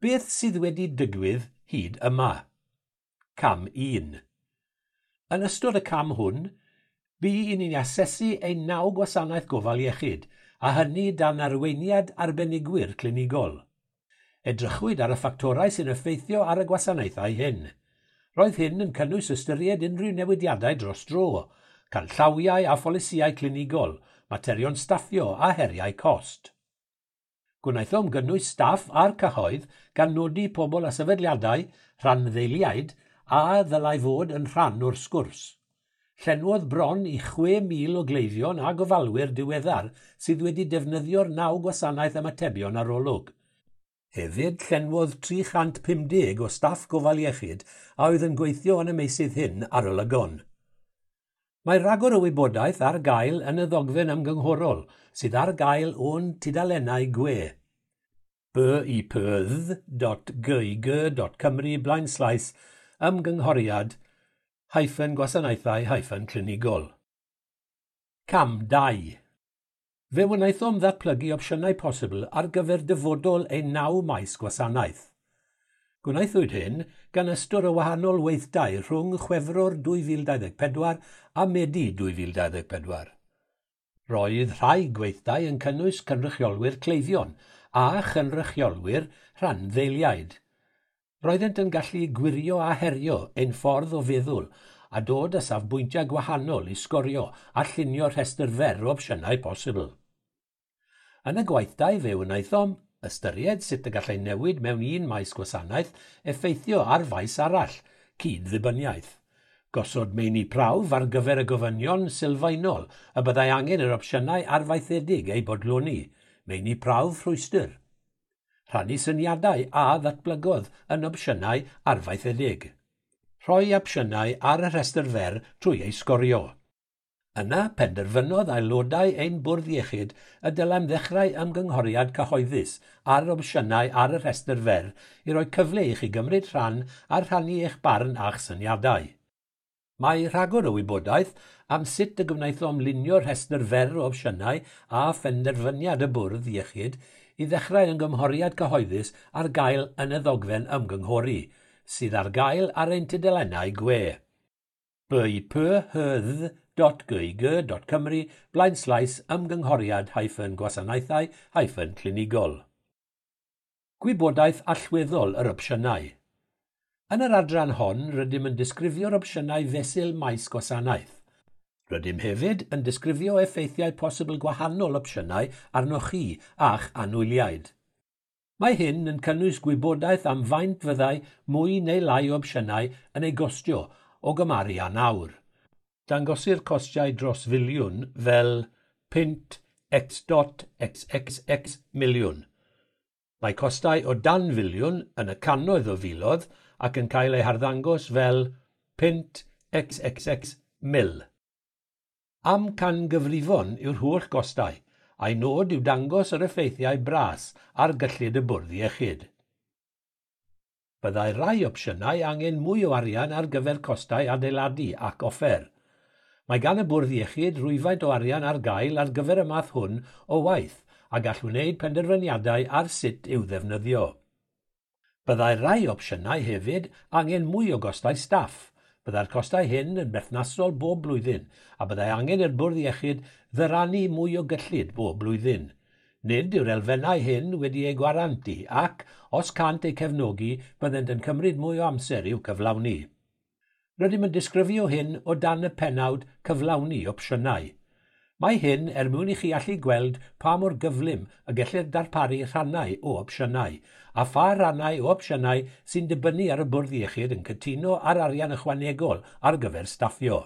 Beth sydd wedi digwydd hyd yma? Cam 1. Yn ystod y cam hwn, bu i ni'n asesu ein naw gwasanaeth gofal iechyd, a hynny dan arweiniad arbenigwyr clinigol. Edrychwyd ar y ffactorau sy'n effeithio ar y gwasanaethau hyn. Roedd hyn yn cynnwys ystyried unrhyw newidiadau dros dro, canllawiau a pholisïau clinigol, materion staffio a heriau cost. Gwnaethom gynnwys staff a'r cyhoedd gan nodi pobl a sefydliadau, rhanddeiliaid, a ddylai fod yn rhan o'r sgwrs. Llenwodd bron i 6,000 o gleifion a gofalwyr diweddar sydd wedi defnyddio'r naw gwasanaeth ymatebion arolwg. Hefyd, llenwodd 350 o staff gofal iechyd a oedd yn gweithio yn y meysydd hyn arolygon. Mae rhagor o wybodaeth ar gael yn y ddogfen ymgynghorol sydd ar gael o'n tudalennau gwe bipydd.gig.cymru blaenslaes ymgynghoriad hyphen gwasanaethau hyphen clinigol. Cam 2. Fe wnaethom ddatblygu opsiynau posibl ar gyfer dyfodol ein naw maes gwasanaeth. Gwnaethwyd hyn gan ystod o wahanol weithdai rhwng Chwefror 2024 a Medi 2024. Roedd rhai gweithdai yn cynnwys cynrychiolwyr cleifion a chynrychiolwyr rhanddeiliaid. Roeddent yn gallu gwirio a herio ein ffordd o feddwl a dod â safbwyntiau gwahanol i sgorio a llunio rhestr fer o opsiynau posibl. Yn y gweithdai fe wnaethom ystyried sut y gallai newid mewn un maes gwasanaeth effeithio ar faes arall, cyd-ddibyniaeth. Gosod meini prawf ar gyfer y gofynion sylfaenol y byddai angen yr opsiynau arfaethedig eu bodloni, meini prawf rhwystr. Rhannu syniadau a ddatblygodd yn opsiynau arfaethedig. Rhoi opsiynau ar y rhestr fer trwy eu sgorio. Yna penderfynodd aelodau ein bwrdd iechyd y dylem ddechrau ymgynghoriad cyhoeddus ar opsiynau ar y rhestr fer i roi cyfle i chi gymryd rhan a rhannu eich barn a'ch syniadau. Mae rhagor o wybodaeth am sut y gwnaethom lunio'r rhestr fer o opsiynau a phenderfyniad y bwrdd iechyd i ddechrau ymgynghoriad cyhoeddus ar gael yn y ddogfen ymgynghori, sydd ar gael ar ein tudalennau gwe. bipyhydd.gig.cymru blaenslaes ymgynghoriad hyphen gwasanaethau hyphen clinigol. Gwybodaeth allweddol yr opsiynau. Yn yr adran hon, rydym yn disgrifio'r opsiynau fesul maes gwasanaeth. Rydym hefyd yn disgrifio effeithiau posibl gwahanol opsiynau arnoch chi a'ch anwyliaid. Mae hyn yn cynnwys gwybodaeth am faint fyddai mwy neu lai o opsiynau yn ei gostio o gymharu â nawr. Dangosir costiau dros filiwn fel punt x dot xxx miliwn. Mae costau o dan filiwn yn y cannoedd o filoedd ac yn cael eu harddangos fel punt xxx mil. Amcangyfrifon yw'r holl gostau, a'i nod yw dangos yr effeithiau bras ar gyllid y bwrdd iechyd. Byddai rai opsiynau angen mwy o arian ar gyfer costau adeiladu ac offer. Mae gan y bwrdd iechyd rwyfaint o arian ar gael ar gyfer y math hwn o waith a gall wneud penderfyniadau ar sut i'w ddefnyddio. Byddai rai opsiynau hefyd angen mwy o gostau staff. Byddai'r costau hyn yn berthnasol bob blwyddyn a byddai angen i'r bwrdd iechyd ddyrannu mwy o gyllid bob blwyddyn. Nid yw'r elfennau hyn wedi eu gwarantu ac, os cant eu cefnogi, byddent yn cymryd mwy o amser i'w cyflawni. Rydym yn disgrifio hyn o dan y pennawd cyflawni opsiynau. Mae hyn er mwyn i chi allu gweld pa mor gyflym y gellir darparu rhannau o opsiynau, a pha rannau o opsiynau sy'n dibynnu ar y bwrdd iechyd yn cytuno ar arian ychwanegol ar gyfer staffio.